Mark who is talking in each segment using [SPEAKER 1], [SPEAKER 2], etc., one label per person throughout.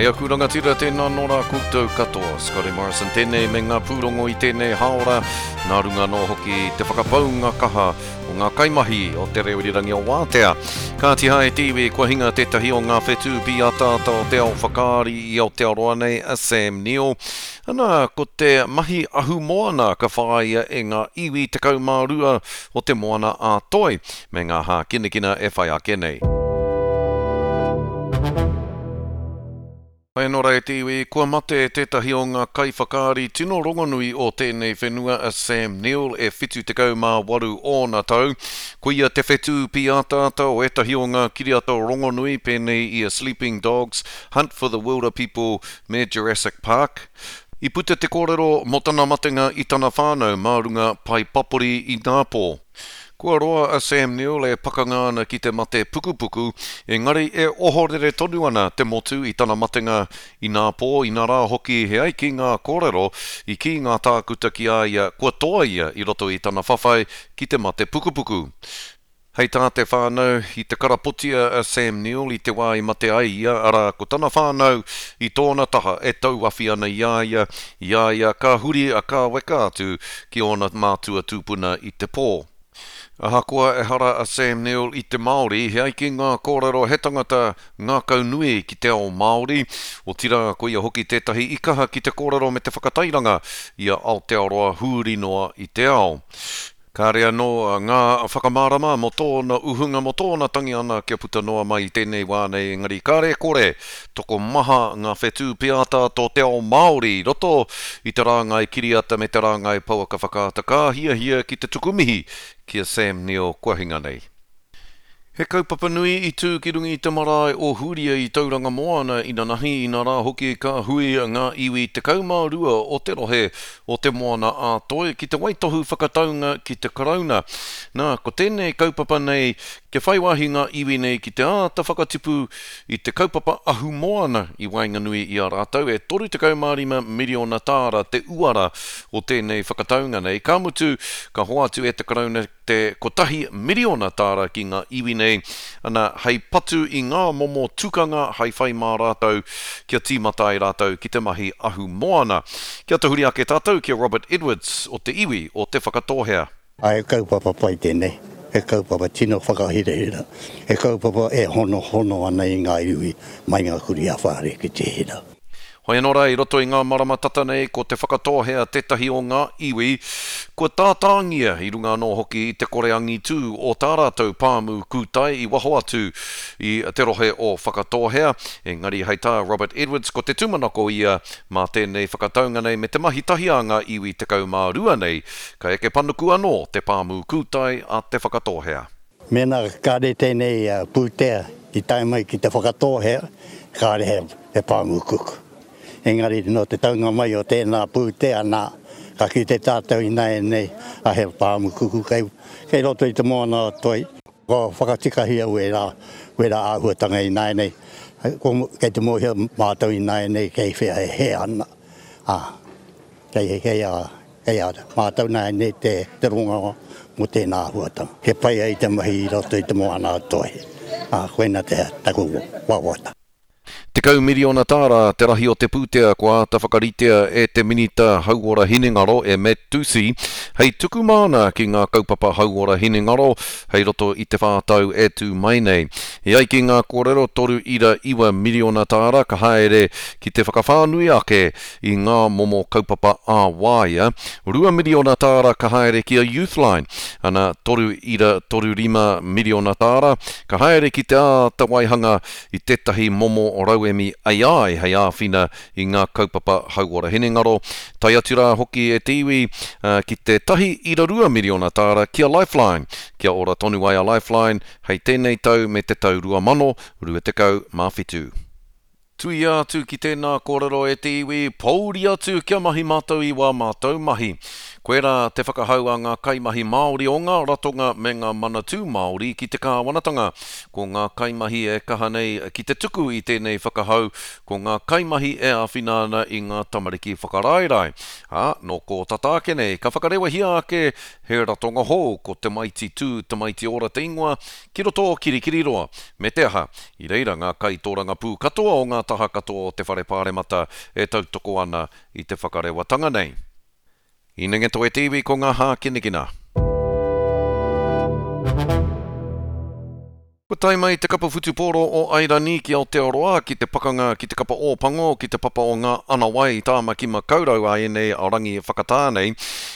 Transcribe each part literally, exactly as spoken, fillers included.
[SPEAKER 1] E aku rangatira, tēnā nō rā koutou katoa. Scotty Morrison tēnei me ngā pūrongo i tēnei hāora, nā runga anō hoki te whakapaunga kaha o ngā kaimahi o te reo irirangi o Wātea. Kāti hae te iwi, kua hinga tētahi o ngā whetū pīataata o te ao whakaari i Aotearoa nei, a Sam Neill. Ana, ko te mahi ahumoana ka whāia e ngā iwi tekau mā rua o te moana a Toi, me ngā hākinakina e whai ake nei. Hei anō rā e te iwi, kua mate tētahi o ngā kaiwhakaari tino rongonui o tēnei whenua a Sam Neill e whitu tekau mā waru ōna tau. Ko ia te whetū pīataata o ētahi o ngā kiriata rongonui pēnei i a Sleeping Dogs, Hunt for the Wilder People me Jurassic Park. I puta te kōrero mō tana matenga i tana whānau mā runga pae papori inapō. Kua roa a Sam Neill e pakanga ana ki te mate pukupuku, engari e ohorere tonu ana te motu i tana matenga inapō, inarā hoki he ai ki ngā kōrero, i kī ngā tākuta ki a ia kua toa ia i roto i tana whawhai ki te mate pukupuku. Hei tā te whānau, i te karapotia a Sam Neill i te wā i mate ai ia, arā ko tana whānau i tōna taha e tauawhi ana i a ia, i a ia ka huri a kāweka atu ki ōna mātua tūpuna i te pō. Ahakoa ehara a Sam Neill i te Māori, he ai ki ngā kōrero he tangata ngākau nui ki te ao Māori, otirā ko ia hoki tētahi i kaha ki te kōrero me te whakatairanga i a Aotearoa huri noa i te ao. Kāre anō ngā whakamārama mō tōna uhunga, mō tōna tangi ana kia puta noa mai i tēnei wā nei, engari kāre kore, tokomaha ngā whetū pīataata o te ao Māori i roto i te rāngai kiriata me te rāngai pouaka whakaata ka hiahia ki te tuku mihi ki a Sam Neill kua hinga nei. He kaupapa nui i tū ki runga i te marae o Huria i Tauranga Moana inanahi, inarā hoki ka hui ngā iwi tekau mā rua o te rohe o te Moana a Toi ki te waitohu whakataunga ki te Karauna. Nā, ko tēnei kaupapa nei, kia whai wāhi ngā iwi nei ki te āta whakatipu i te kaupapa ahumoana i waenganui i a rātou, e toru tekau mā rima miriona tāra te uara o tēnei whakataunga nei. Ka mutu, ka hoatu e te Karauna te kotahi miriona tāra ki ngā iwi nei, ana, hei patu i ngā momo tukanga hei whai mā rātou kia tīmata ai rātou ki te mahi ahumoana. Kia tahuri ake tātou ki a Robert Edwards o te iwi o Te Whakatōhea.
[SPEAKER 2] He kaupapa pai tēnei, he kaupapa tino whakahirahira, he kaupapa e honohono ana i ngā iwi mai ngā kuri a whare ki te hira.
[SPEAKER 1] Hoi anō rā, i roto i ngā marama tata nei, ko Te Whakatōhea tētahi o ngā iwi kua tātāngia i runga anō hoki i te kore angitū o tā rātou pāmu kūtai i waho atu i te rohe o Whakatōhea. Engari hei tā Robert Edwards, ko te tūmanako ia mā tēnei whakataunga nei me te mahi tahi a ngā iwi tekau mā rua nei, ka eke panuku anō te pāmu kūtai a Te Whakatōhea.
[SPEAKER 2] Mēnā kāre tēnei pūtea i tae mai ki Te Whakatōhea, kāre he, he pāmu kuku. Engari nō te taunga mai o tēnā pūtea nā, ka kite tātou ināianei a he pāmu kuku kei, kei roto i te moana o Toi. Ko whakatikahia wērā, wērā āhuatanga ināianei, ko, kei te mōhio mātou ināianei kei whea e hē ana. Ā, kei, kei a, kei a mātou nāianei te, te rongo mō tēnā āhuatanga. He pai ai te mahi i roto i te moana o Toi. Ā, koina te taku wawata.
[SPEAKER 1] Tekau miriona tāra te rahi o te pūtea kua āta whakaritea e te Minita Hauora Hinengaro e Matt Doocey hei tuku māna ki ngā kaupapa hauora hinengaro hei roto i te whā tau e tū mai nei. E ai ki ngā kōrero toru ira iwa miriona tāra ka haere ki te whakawhānui ake i ngā momo kaupapa ā-waea, rua miriona tāra ka haere ki a Youthline, ana toru ira toru rima miriona tāra ka haere ki te āta waihanga i tētahi momo rauemi A I hei āwhina i ngā kaupapa hauora hinengaro. Tae atu rā hoki e te iwi, uh, ki te tahi ira rua miriona tāra ki a Lifeline. Kia ora tonu ai a Lifeline hei tēnei tau me te tau rua mano, rua tekau mā whitu. Tuia atu ki tēnā kōrero e te iwi, pouri atu kia mahi mātou i wā mātou mahi. Koirā te whakahau a ngā kaimahi Māori o ngā ratonga me ngā manatū Māori ki te kāwanatanga. Ko ngā kaimahi e kaha nei ki te tuku i tēnei whakahau, ko ngā kaimahi e āwhina ana i ngā tamariki whakaraerae. Ā, nō kō tata ake nei, ka whakarewahia ake he ratonga hou, ko Tamaiti Tū, Tamaiti Ora te ingoa, ki roto o Kirikiriroa. Me te aha, i reira ngā kaitōrangapū katoa o ngā taha katoa o te Whare Pāremata e tautoko ana i te whakarewatanga nei. I nenge toe te iwi ko ngā hākinakina. Kua tae mai te kapa whutupōro o Airani ki Aotearoa ki te pakanga ki te kapa Ōpango ki te papa o ngā Anawai Tāmaki Makaurau a ēnei rangi whakatā nei.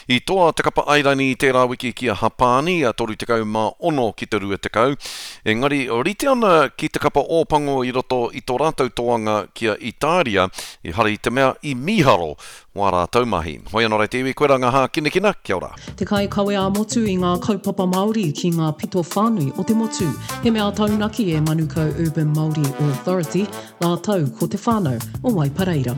[SPEAKER 1] I toa te kapa Airani i tērā wiki ki a Hapāni, a toru tekau mā ono ki te rua tekau. Engari rite ana ki te kapa Ōpango i roto i tō rātou toanga ki a Itāria, ehara i te mea i mīharo wā rātou mahi. Hoi anō rā te iwi, koirā ngā hākinakina, kia ora.
[SPEAKER 3] Te kaikawe ā-motu i ngā kaupapa Māori ki ngā pito whānui o te motu. He mea taunaki e Manukau Urban Māori Authority rātou ko te whānau o Waipareira.